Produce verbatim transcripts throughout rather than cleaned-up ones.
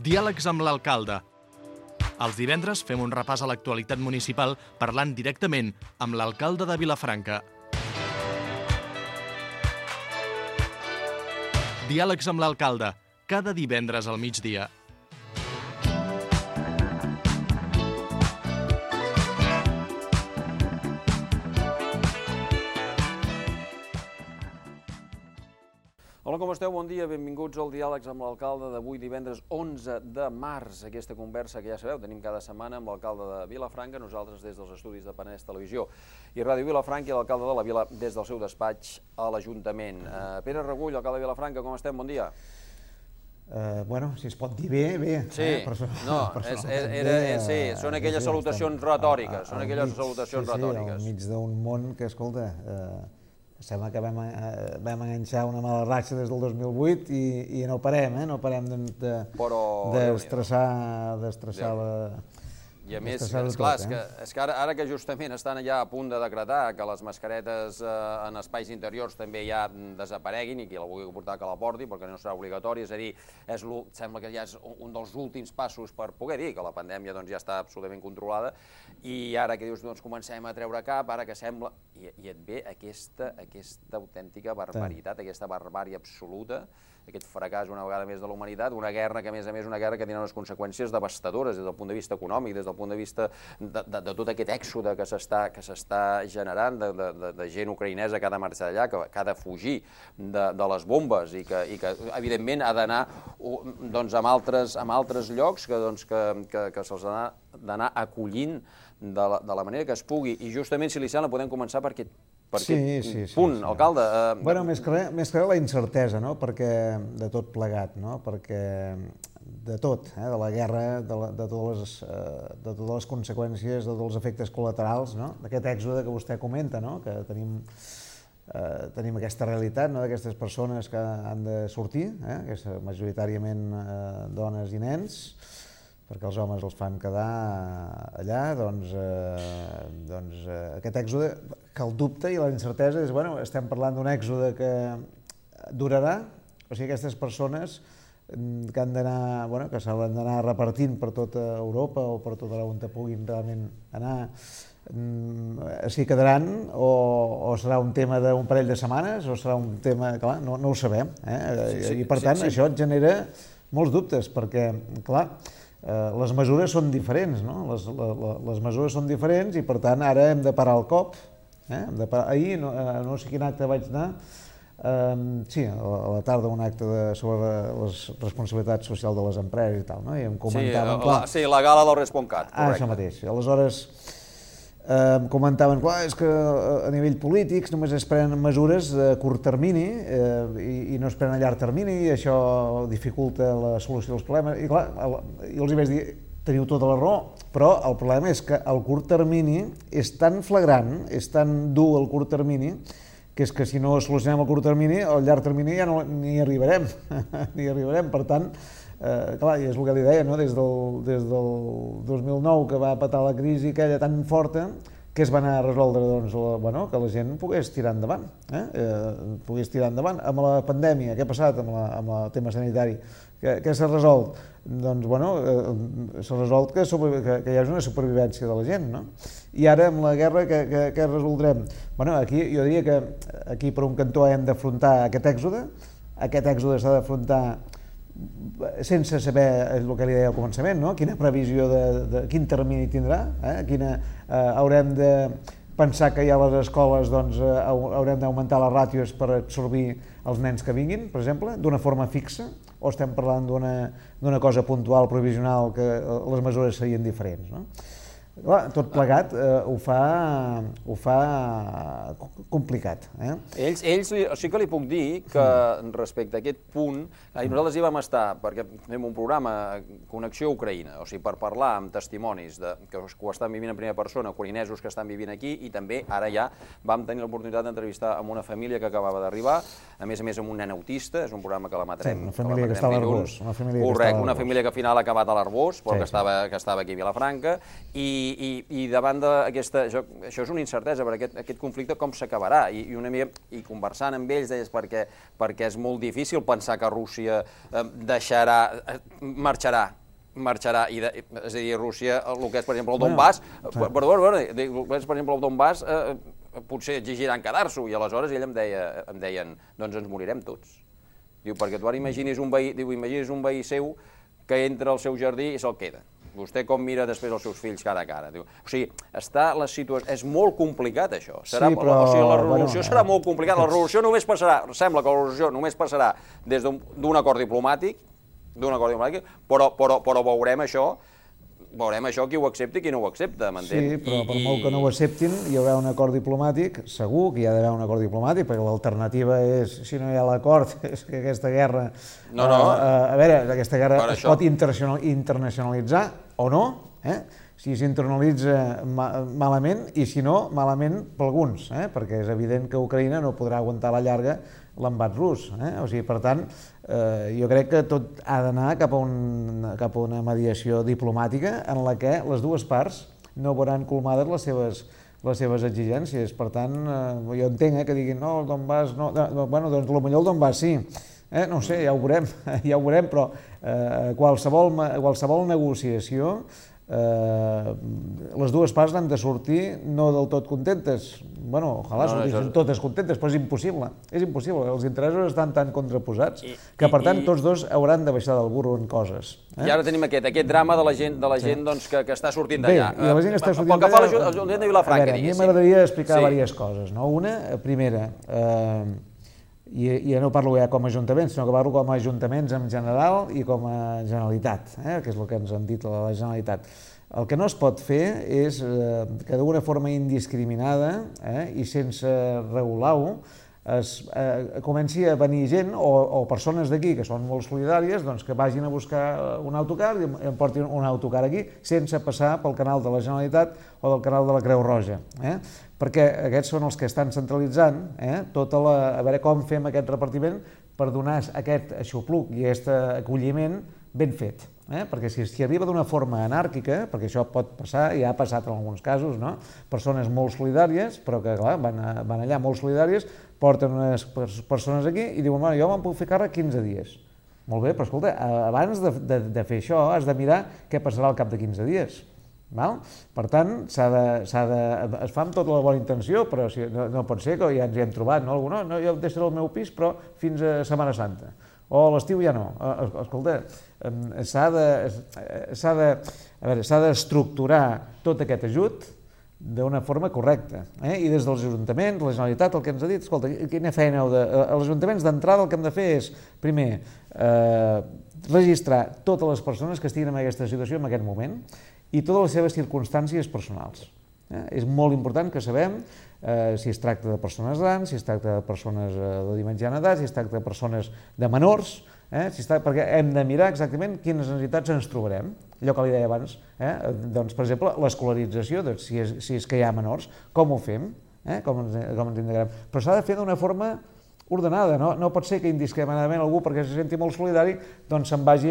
Diàlegs amb l'alcalde. Els divendres fem un repàs a l'actualitat municipal parlant directament amb l'alcalde de Vilafranca. Diàlegs amb l'alcalde, cada divendres al migdia. Hola, com esteu? Bon dia, benvinguts al Diàlegs amb l'alcalde d'avui, divendres onze de març. Aquesta conversa que ja sabeu, tenim cada setmana amb l'alcalde de Vilafranca, nosaltres des dels estudis de Penedès Televisió i Ràdio Vilafranca, i l'alcalde de la Vila des del seu despatx a l'Ajuntament. Uh, Pere Regull, alcalde de Vilafranca, com estem? Bon dia. Uh, bueno, si es pot dir bé, bé. Sí, eh? Person no, és, era, és, sí, són aquelles sí, salutacions retòriques, són aquelles mig, salutacions sí, retòriques. Sí, al mig d'un món que, escolta, uh, sembla que vam, uh, vam enganxar una mala ratxa des del dos mil vuit i, i no parem, eh? No parem de, de, d'estressar, d'estressar la... I a més, esclar, és que, és que ara, ara que justament estan ja a punt de decretar que les mascaretes eh, en espais interiors també ja desapareguin i qui la vulgui portar que la porti, perquè no serà obligatori, és a dir, és sembla que ja és un dels últims passos per poder dir que la pandèmia doncs, ja està absolutament controlada, i ara que dius, doncs comencem a treure cap, ara que sembla... I, i et ve aquesta, aquesta autèntica barbaritat, aquesta barbària absoluta, aquest fracàs una vegada més de la humanitat, una guerra que a més a més una guerra que tindrà unes conseqüències devastadores des del punt de vista econòmic, des del punt de vista de, de, de tot aquest èxode que s'està que s'està generant, de, de, de gent ucraïnesa que ha de marxar d'allà, que, que ha de fugir de, de les bombes i que, i que evidentment ha d'anar doncs, amb, altres, amb altres llocs que, doncs, que, que, que se'ls ha d'anar acollint de la, de la manera que es pugui. I justament, si li sembla, podem començar per aquest, per sí, aquest sí, sí, punt, sí. alcalde. Eh, bueno, més que res, més que res la incertesa, no? Perquè de tot plegat, no? Perquè de tot, eh? De la guerra, de, la, de, totes les, eh, de totes les conseqüències, de tots els efectes col·laterals, no? D'aquest èxode que vostè comenta, no? Que tenim, eh, tenim aquesta realitat, no? D'aquestes persones que han de sortir, eh? Que són majoritàriament eh, dones i nens, perquè els homes els fan quedar allà, doncs, eh, doncs eh, aquest èxode, que el dubte i la incertesa és, bueno, estem parlant d'un èxode que durarà, o sigui, aquestes persones que han d'anar, bueno, que s'hauran d'anar repartint per tota Europa o per tot on puguin realment anar, s'hi quedaran o, o serà un tema d'un parell de setmanes o serà un tema, clar, no, no ho sabem, eh? Sí, sí, i per tant sí, sí. Això et genera molts dubtes, perquè, clar, Uh, les mesures són diferents, no? Les, la, la, les mesures són diferents i, per tant, ara hem de parar el cop. Eh? Hem de parar... Ahir, no, uh, no sé quin acte vaig anar, uh, sí, a la, a la tarda un acte de, sobre les responsabilitats socials de les empreses i tal, no? I em comentaven... Sí, la, sí, la gala del Responcat, correcte. Ah, això mateix. Aleshores, eh, em comentaven, clar, és que a nivell polític només es prenen mesures a curt termini eh, i, i no es prenen a llarg termini i això dificulta la solució dels problemes. I clar, jo els hi vaig dir, teniu tota la raó, però el problema és que el curt termini és tan flagrant, és tan dur el curt termini, que és que si no solucionem el curt termini, al llarg termini ja no ni arribarem, ni arribarem. Per tant, Eh, clar, i és el que li deia, no? des, del, des del dos mil nou que va patar la crisi aquella tan forta que es va anar a resoldre doncs, la, bueno, que la gent pogués tirar endavant, eh? Eh, pogués tirar endavant. Amb la pandèmia, què ha passat amb, la, amb el tema sanitari? Què, què s'ha resolt? Doncs, bueno, eh, s'ha resolt que, que, que hi hagi una supervivència de la gent, no? I ara, amb la guerra, què, què, què resoldrem? Bueno, aquí, jo diria que aquí per un cantó hem d'afrontar aquest èxode, aquest èxode s'ha d'afrontar sense saber el que li deia al començament, no? Quina previsió, de, de quin termini tindrà, eh? Quina, eh, haurem de pensar que ja a les escoles doncs, eh, haurem d'augmentar les ràtios per absorbir els nens que vinguin, per exemple, d'una forma fixa, o estem parlant d'una cosa puntual, provisional, que les mesures serien diferents, no? Clar, tot plegat eh, ho fa, ho fa complicat. Eh? Ells, ells sí que li puc dir que respecte a aquest punt, i nosaltres hi vam estar perquè fem un programa Connexió Ucraïna, o sigui, per parlar amb testimonis de, que ho estan vivint en primera persona, ucraïnesos que estan vivint aquí, i també ara ja vam tenir l'oportunitat d'entrevistar amb una família que acabava d'arribar, a més a més amb un nen autista, és un programa que l'emetrem. Sí, una família que, que està a l'Arboç. Correcte, una família que al final ha acabat a l'Arboç, però sí, que, estava, que estava aquí a Vilafranca, i I davant d'aquesta... Això és una incertesa, perquè aquest conflicte com s'acabarà? I conversant amb ells deies perquè és molt difícil pensar que Rússia deixarà, marxarà, marxarà, és a dir, Rússia, el que és, per exemple, el Donbass, perdó, el que és, per exemple, el Donbass, potser exigiran quedar-s'ho, i aleshores ell em deien, doncs ens morirem tots. Diu, perquè tu ara imaginis un veí seu que entra al seu jardí i se'l queda. Vostè com mira després els seus fills cara a cara. O sigui, està la situació... És molt complicat, això. O sigui, la revolució serà molt complicada. La revolució només passarà, sembla que la revolució només passarà des d'un acord diplomàtic, d'un acord diplomàtic, però veurem això, veurem això qui ho accepta i qui no ho accepta, m'entén? Sí, però per molt que no ho acceptin, hi haurà un acord diplomàtic, segur que hi ha d'haver un acord diplomàtic, perquè l'alternativa és, si no hi ha l'acord, és que aquesta guerra... No, no. A veure, aquesta guerra es pot internacionalitzar o no, si s'internalitza malament i si no, malament per alguns, perquè és evident que Ucraïna no podrà aguantar a la llarga l'embat rus. O sigui, per tant, jo crec que tot ha d'anar cap a una mediació diplomàtica en la que les dues parts no veuran colmades les seves les seves exigències. Per tant, jo entenc que diguin, no, el Donbass no... Bueno, doncs potser el Donbass sí. No ho sé, ja ho veurem, ja ho veurem, però qualsevol negociació, les dues parts han de sortir no del tot contentes. Bueno, ojalà sortissin totes contentes, però és impossible. És impossible. Els interessos estan tan contraposats que, per tant, tots dos hauran de baixar del burro en coses. I ara tenim aquest, aquest drama de la gent que està sortint d'allà. Bé, i la gent que està sortint d'allà... Pel que fa a l'Ajuntament de Vilafranca, diguéssim. A mi m'agradaria explicar diverses coses. Una, primera, i no parlo ja com a Ajuntament, sinó que parlo com a Ajuntaments en general i com a Generalitat, que és el que ens han dit la Generalitat. El que no es pot fer és que d'una forma indiscriminada i sense regular-ho comenci a venir gent o persones d'aquí que són molt solidàries que vagin a buscar un autocar i em portin un autocar aquí sense passar pel canal de la Generalitat o del canal de la Creu Roja. Perquè aquests són els que estan centralitzant tot a veure com fem aquest repartiment per donar aquest aixopluc i aquest acolliment ben fet. Perquè si arriba d'una forma anàrquica, perquè això pot passar, i ha passat en alguns casos, persones molt solidàries, però que van allà molt solidàries, porten unes persones aquí i diuen, jo me'n puc fer càrrec quinze dies. Molt bé, però escolta, abans de fer això has de mirar què passarà al cap de quinze dies. Per tant, es fa amb tota la bona intenció, però no pot ser que ja ens hi hem trobat, no? No, jo deixaré el meu pis, però fins a Setmana Santa. O a l'estiu ja no. Escolta, s'ha d'estructurar tot aquest ajut d'una forma correcta. I des dels ajuntaments, la Generalitat, el que ens ha dit, escolta, quina feina heu de... Els ajuntaments d'entrada el que hem de fer és, primer, registrar totes les persones que estiguin en aquesta situació en aquest moment i totes les seves circumstàncies personals. És molt important que sabem si es tracta de persones grans, si es tracta de persones de mitjana edat, si es tracta de persones de menors, perquè hem de mirar exactament quines necessitats ens trobarem. Allò que li deia abans, doncs, per exemple, l'escolarització, si és que hi ha menors, com ho fem, com ens integrem. Però s'ha de fer d'una forma ordenada, no pot ser que indiscriminadament algú, perquè se senti molt solidari, doncs se'n vagi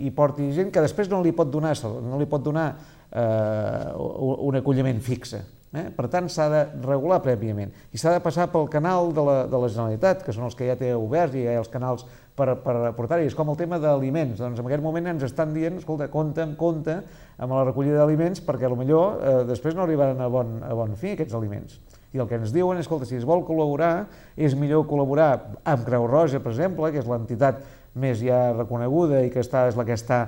i porti gent que després no li pot donar no li pot donar un acolliment fixe. Per tant, s'ha de regular prèviament i s'ha de passar pel canal de la Generalitat, que són els que ja té oberts i hi ha els canals per aportar-hi. És com el tema d'aliments. Doncs en aquest moment ens estan dient, escolta, compte amb compte amb la recollida d'aliments perquè potser després no arribaran a bon fi aquests aliments. I el que ens diuen és, escolta, si es vol col·laborar, és millor col·laborar amb Creu Roja, per exemple, que és l'entitat més ja reconeguda i que és la que està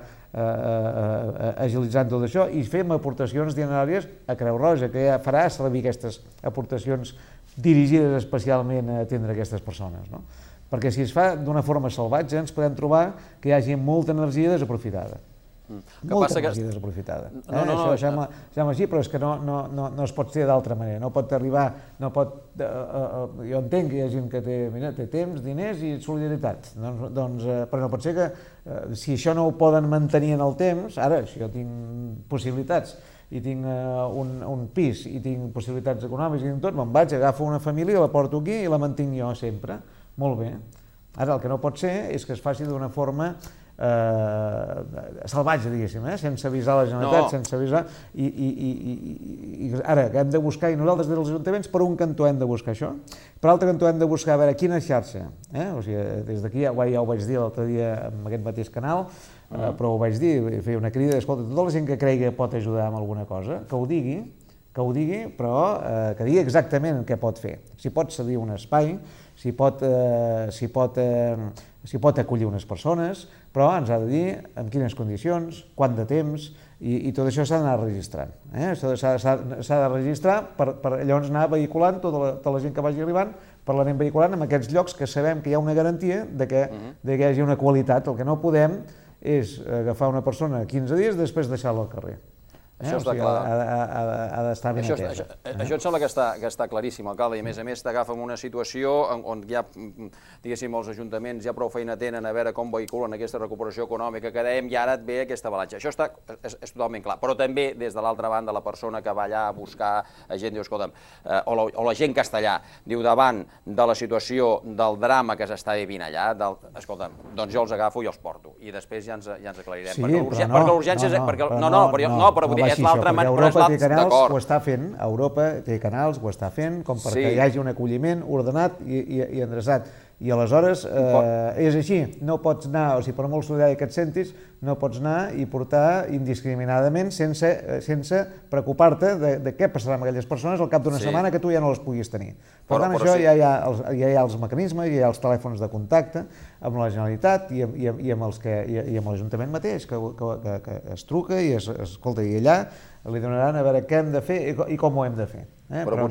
agilitzant tot això, i fem aportacions dineràries a Creu Roja, que ja farà servir aquestes aportacions dirigides especialment a atendre aquestes persones. Perquè si es fa d'una forma salvatge ens podem trobar que hi hagi molta energia desaprofitada. Molta energia desaprofitada. Això sembla així, però és que no es pot fer d'altra manera. No pot arribar... Jo entenc que hi ha gent que té temps, diners i solidaritat, però no pot ser que si això no ho poden mantenir en el temps, ara, si jo tinc possibilitats i tinc un pis i tinc possibilitats econòmiques i tinc tot, me'n vaig, agafo una família, la porto aquí i la mantinc jo sempre. Molt bé. Ara, el que no pot ser és que es faci d'una forma salvatge, diguéssim, sense avisar la Generalitat, sense avisar... I ara, que hem de buscar, i nosaltres des dels ajuntaments, per un cantó hem de buscar això, per l'altre cantó hem de buscar a veure quina xarxa. O sigui, des d'aquí ja ho vaig dir l'altre dia en aquest mateix canal, però ho vaig dir, feia una crida, escolta, tota la gent que cregui que pot ajudar amb alguna cosa, que ho digui, que ho digui, però que digui exactament què pot fer. Si pot cedir un espai, si pot acollir unes persones, però ens ha de dir en quines condicions, quant de temps, i tot això s'ha d'anar registrant. S'ha de registrar per llavors anar vehiculant tota la gent que vagi arribant, per l'anem vehiculant en aquests llocs que sabem que hi ha una garantia que hi hagi una qualitat. El que no podem és agafar una persona quinze dies i després deixar-la al carrer. Això està clar. Ha d'estar ben atesa. Això em sembla que està claríssim, alcalde, i a més a més t'agafa en una situació on ja, diguéssim, els ajuntaments ja prou feina tenen a veure com vehiculen aquesta recuperació econòmica que dèiem i ara et ve aquesta avalanxa. Això és totalment clar, però també des de l'altra banda la persona que va allà a buscar gent, diu, escolta'm, o la gent castellà, diu, davant de la situació del drama que s'està vivint allà, escolta'm, doncs jo els agafo i els porto i després ja ens aclarirem. Sí, però no, no, no, però vull dir, és l'altra manera. Europa té canals, ho està fent, Europa té canals, ho està fent, com perquè hi hagi un acolliment ordenat i endreçat. I aleshores és així, no pots anar, o sigui, per molt solidari que et sentis, no pots anar i portar indiscriminadament sense preocupar-te de què passarà amb aquelles persones al cap d'una setmana que tu ja no les puguis tenir. Per tant, això ja hi ha els mecanismes, ja hi ha els telèfons de contacte amb la Generalitat i amb l'Ajuntament mateix, que es truca i escolta, i allà li donaran a veure què hem de fer i com ho hem de fer. Però no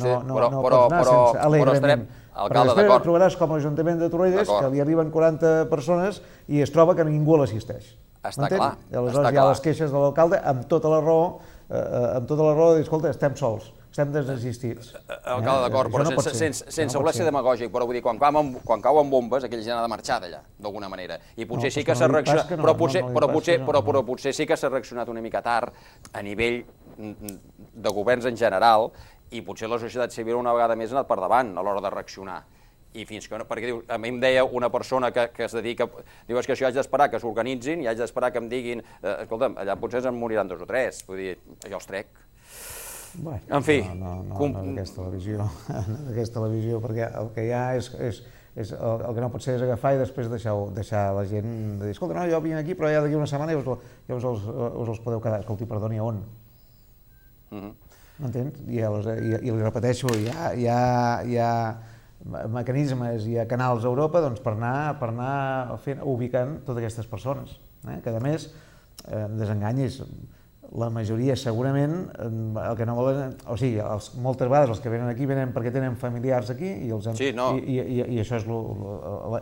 pots anar sense alegrament. Però després trobaràs com l'Ajuntament de Torrelles, que li arriben quaranta persones i es troba que ningú l'assisteix. Està clar. Aleshores hi ha les queixes de l'alcalde amb tota la raó, amb tota la raó de dir, escolta, estem sols, estem desassistits. Alcalde, d'acord, però sense voler ser demagògic, però vull dir, quan cauen bombes, aquella gent ha de marxar d'allà, d'alguna manera. I potser sí que s'ha reaccionat, però potser sí que s'ha reaccionat una mica tard a nivell de governs en general, i potser la societat civil una vegada més ha anat per davant a l'hora de reaccionar. I fins que no, perquè diu, a mi em deia una persona que es dedica, diu, és que això haig d'esperar que s'organitzin i haig d'esperar que em diguin, escolta'm, allà potser se'n moriran dos o tres, vull dir, jo els trec. En fi... No, no, no d'aquesta televisió, no d'aquesta televisió, perquè el que hi ha és, el que no pot ser és agafar i després deixar la gent de dir, escolta, no, jo vinc aquí, però ja d'aquí una setmana ja us els podeu quedar. Escolti, perdoni, a on? M'entens? I li repeteixo, hi ha mecanismes, hi ha canals a Europa per anar ubicant totes aquestes persones, que a més, desenganyis, la majoria segurament el que no volen, o sigui, moltes vegades els que venen aquí venen perquè tenen familiars aquí i això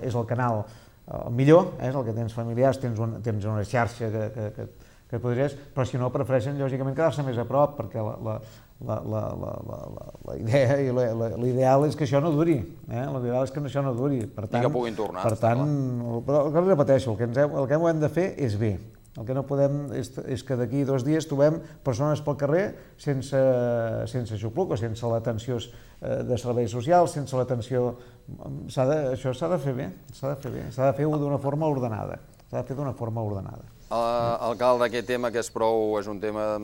és el canal millor, és el que tens familiars, tens una xarxa que podries, però si no prefereixen lògicament quedar-se més a prop perquè la idea i l'ideal és que això no duri, l'ideal és que això no duri. I que puguin tornar. Per tant, el que repeteixo, el que hem de fer és bé. El que no podem és que d'aquí dos dies trobem persones pel carrer sense xupluc o sense l'atenció de serveis socials, sense l'atenció... Això s'ha de fer bé, s'ha de fer bé, s'ha de fer d'una forma ordenada, s'ha de fer d'una forma ordenada. Alcalde, aquest tema que és un tema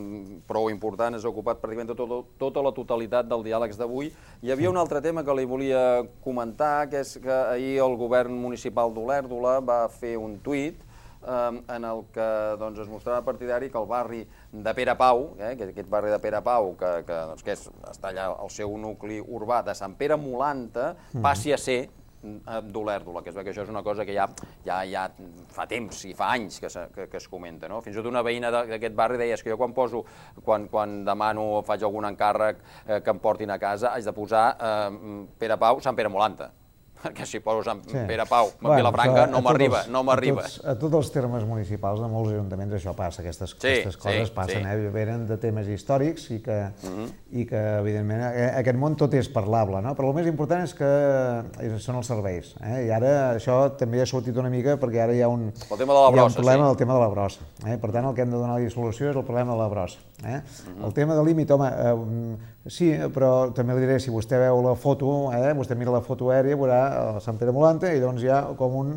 prou important, has ocupat pràcticament tota la totalitat del diàlegs d'avui. Hi havia un altre tema que li volia comentar, que és que ahir el govern municipal d'Olèrdola va fer un tuit en el que es mostrava partidari que el barri de Pere Pau, aquest barri de Pere Pau, que està allà al seu nucli urbà de Sant Pere Molanta, passi a ser d'Olèrdola, que això és una cosa que ja fa temps i fa anys que es comenta. Fins i tot una veïna d'aquest barri deia que jo quan poso, quan demano o faig algun encàrrec que em portin a casa, haig de posar Pere Pau, Sant Pere Molanta. Perquè si poso Sant Pere Pau, Vilafranca, no m'arriba, no m'arriba. A tots els termes municipals de molts ajuntaments això passa, aquestes coses passen, venen de temes històrics i que, evidentment, aquest món tot és parlable, però el més important és que són els serveis. I ara això també ha sortit una mica perquè ara hi ha un problema del tema de la brossa. Per tant, el que hem de donar-li solució és el problema de la brossa. El tema de límit, home, sí, però també li diré, si vostè veu la foto, vostè mira la foto aèria, veurà Sant Pere Molanta i llavors hi ha com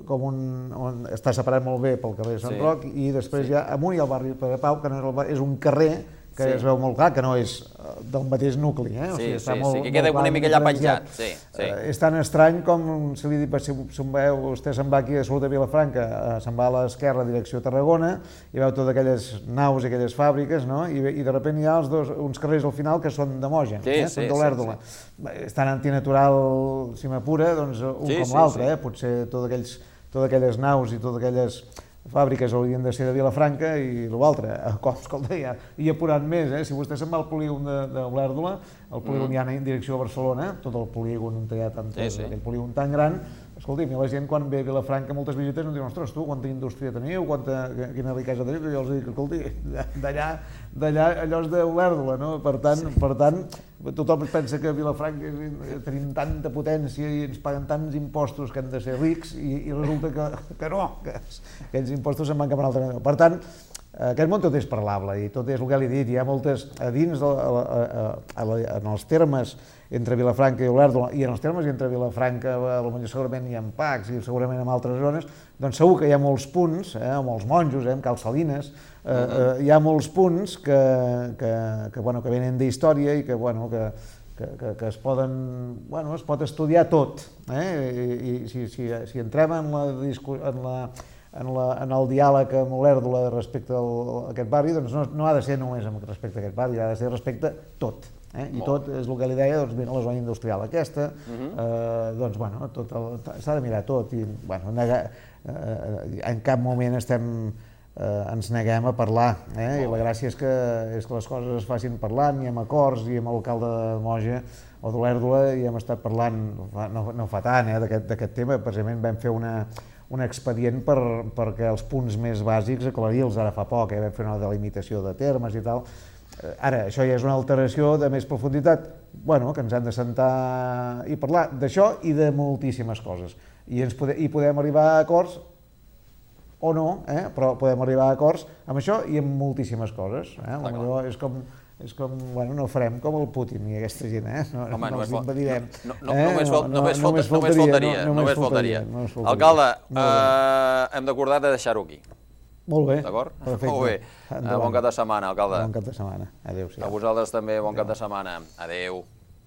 com un, on està separat molt bé pel carrer de Sant Roc, i després hi ha amunt hi ha el barri Pere Pau, que no és, el, és un carrer que es veu molt clar, que no és del mateix nucli, eh? Sí, sí, sí, que queda una mica allà penjat. És tan estrany com si li dic, si vostè se'n va aquí a Salut de Vilafranca, se'n va a l'esquerra, direcció Tarragona, i veu totes aquelles naus i aquelles fàbriques, i de sobte hi ha uns carrers al final que són de Moja, són d'Olèrdola. És tan antinatural, si m'apura, un com l'altre, potser totes aquelles naus i totes aquelles fàbriques haurien de ser de Vilafranca i l'altre, com, escolta, i apurant més, si vostè se'n va al polígon d'Olèrdola, el polígon ja en direcció a Barcelona, tot el polígon on hi ha aquell polígon tan gran, escolti, la gent quan ve a Vilafranca moltes visites no diuen, ostres, tu, quanta indústria teniu, quina riquesa teniu, jo els dic, escolti, d'allà, d'allà, allò és d'Olèrdola, no? Per tant, per tant, tothom pensa que a Vilafranca tenim tanta potència i ens paguen tants impostos que han de ser rics i resulta que no, que aquells impostos se'n van cap a un altre lloc. Per tant, aquest món tot és parlable i tot és el que li he dit, hi ha moltes, a dins, en els termes entre Vilafranca i Olèrdola, i en els termes entre Vilafranca, potser segurament hi ha Pacs i segurament en altres zones, doncs segur que hi ha molts punts, amb els monjos, amb Cal Salines, hi ha molts punts que venen d'història i que es poden, bueno, es pot estudiar tot, i si entrem en la en el diàleg amb Olèrdola respecte a aquest barri, doncs no ha de ser només respecte a aquest barri, ha de ser respecte a tot. I tot és el que li deia, doncs mira la zona industrial aquesta, doncs bueno, s'ha de mirar tot i en cap moment ens neguem a parlar i la gràcia és que les coses es facin parlant i amb acords i amb l'alcalde de Moja o d'Olèrdola i hem estat parlant no fa tant d'aquest tema, precisament vam fer una un expedient perquè els punts més bàsics aclarir-los ara fa poc, vam fer una delimitació de termes i tal. Ara, això ja és una alteració de més profunditat, bueno, que ens han de sentar i parlar d'això i de moltíssimes coses. I podem arribar a acords o no, però podem arribar a acords amb això i amb moltíssimes coses. Potser és com... és com, bueno, no farem com el Putin i aquesta gent, eh? No els impedirem. Només faltaria, només faltaria. Alcalde, hem d'acordar de deixar-ho aquí. Molt bé. D'acord? Molt bé. Bon cap de setmana, alcalde. Bon cap de setmana. Adéu-siau. A vosaltres també, bon cap de setmana. Adéu.